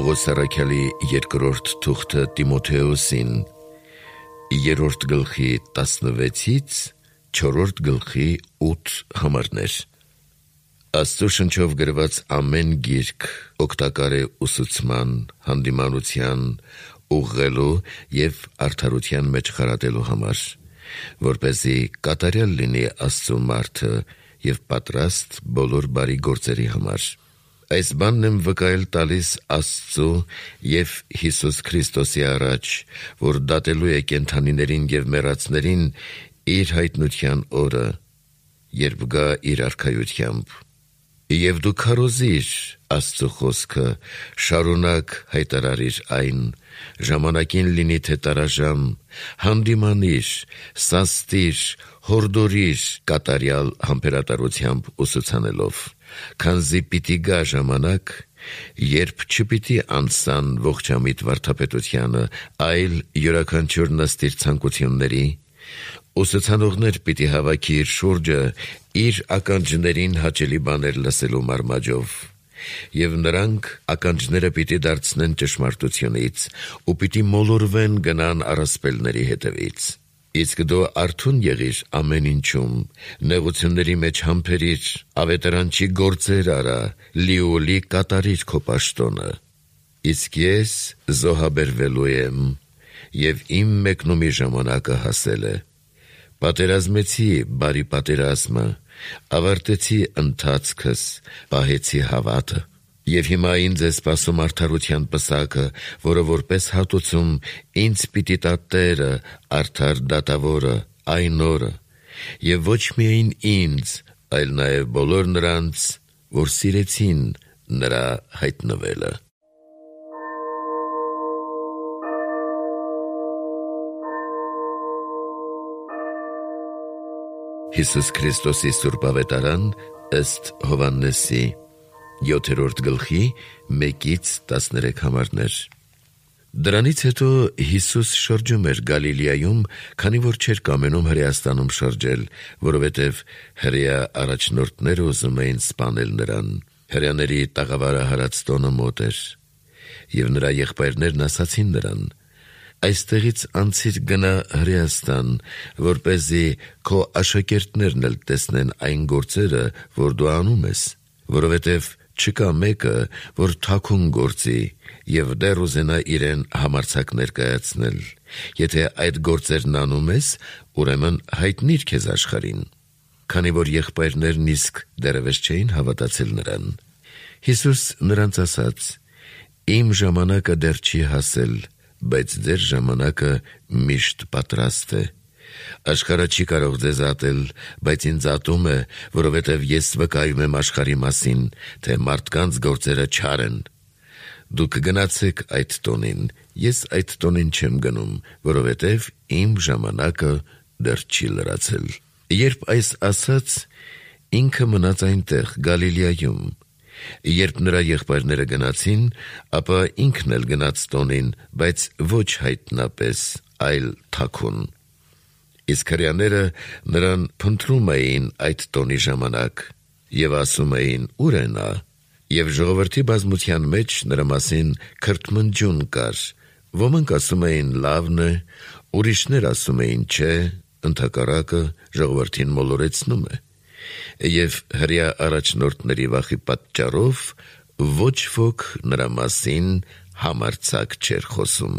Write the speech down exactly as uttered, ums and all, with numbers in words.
Պողոս առաքյալի երկրորդ թուղթը Տիմոթեոսին, երրորդ գլխի տասնվեցից չորրորդ գլխի ութ համարներ։ Աստծո շնչով գրված ամեն գիրք օգտակար է ուսուցման, հանդիմանության, ուղղելու և արդարության մեջ խրատելու համար, որպեսզի կատարյալ լինի Աստծո մարդը և պատրաստ բոլոր բարի գործերի համար։ Այս բանն եմ վկայել տալիս Աստծո և Հիսուս Քրիստոսի առաջ, որ դատելու է կենդանիներին և մեռածներին իր հայտնության օրը, երբ գա իր արքայությամբ։ Եվ դու քարոզիր Աստծո խոսքը, շարունակ հայտարարիր այն, ժամանակին լինի թե տարաժամ, հանդիմանիր, սաստիր, հորդորիր կատարյալ համբերատարությամբ ուսուցանելով, քանզի պիտի գա ժամանակ, երբ չպիտի անսան ողջամիտ վարդապետությանը, այլ յուրաքանչյուր նստիր ցանկությունների, ուսուցանողներ պիտի հավաքի իր շուրջը իր ականջներին հաճելի բաներ լսելու մարմաջով, և նրանք ականջները պիտի դարձնեն ճշմարտությունից ու պիտի մոլորվեն գնան առասպելների հետևից։ Իսկ դու արթուն եղիր ամեն ինչում, նեղությունների մեջ համբերիր, ավետարանչի գործեր արա, լիովլի կատարիր քո պաշտոնը։ Իսկ ես զոհաբերվելու եմ, և իմ մեկնումի ժամանակը հասել է։ Պատերազմեցի բարի պատերազմը, ավարտեցի ընթացքս, պահեցի հավատը։ Եվ հիմա ինձ է սպասում արդարության պսակը, որը որպես հատուցում ինձ պիտի տա Տերը, արդար դատավորը, այն օրը, և ոչ միայն ինձ, այլ նաև բոլոր նրանց, որ սիրեցին նրա հայտնվելը։ Հիսուս Քրիստոսի Սուրբ Ավետարան ըստ Հովհաննեսի, յոթերորդ գլխի մեկից տասներեք համարներ։ Դրանից հետո Հիսուս շրջում էր Գալիլեայում, քանի որ չէր կամենում Հրեաստանում շրջել, որովհետև հրեա առաջնորդները ուզում էին սպանել նրան։ Հրեաների տաղավարը հարած տոնը մոտ էր, և նրա եղբայրներն ասացին նրան. «Այստեղից անցիր գնա Հրեաստան, որպեսզի քո աշակերտներն էլ տեսնեն այն գործերը, որ դու անում ես, որովհետև չկա մեկը, որ թաքուն գործի և դեռ ուզենա իրեն համարձակ ներկայացնել։ Եթե այդ գործերն անում ես, ուրեմն հայտնիր քեզ աշխարհին»։ Քանի որ եղբայրներն իսկ դեռևս չէին հավատացել նրան, Հիսուս նրանց ասաց. «Իմ ժամանակը դեռ չի հասել, բայց ձեր ժամանակը միշտ պատրաստ է։ Աշխարհը չի կարող ձեզ ատել, բայց ինձ ատում է, որովհետև ես վկայում եմ աշխարհի մասին, թե մարդկանց գործերը չար են։ Դուք գնացեք այդ տոնին, ես այդ տոնին չեմ գնում, որովհետև իմ ժամանակը դեռ չի լրացել»։ Երբ այս ասաց, ինքը մնաց այնտեղ Գալիլեայում։ Երբ նրա եղբայրները գնացին, ապա ինքն էլ գնաց տոնին, բայց ոչ հայտնապես, այլ թաքուն։ Իսկ հրեաները նրան փնտրում էին այդ տոնի ժամանակ և ասում էին. «Ո՞ւր է նա»։ Եվ ժողովրդի բազմության մեջ նրա մասին քրթմնջյուն կար. ոմանք ասում էին լավն է, ուրիշներ ասում էին չէ, ընդհակառակը ժողովրդին մոլորեցնում է։ Եվ հրեա առաջնորդների վախի պատճառով ոչ ոք նրա մասին համարձակ չէր խոսում։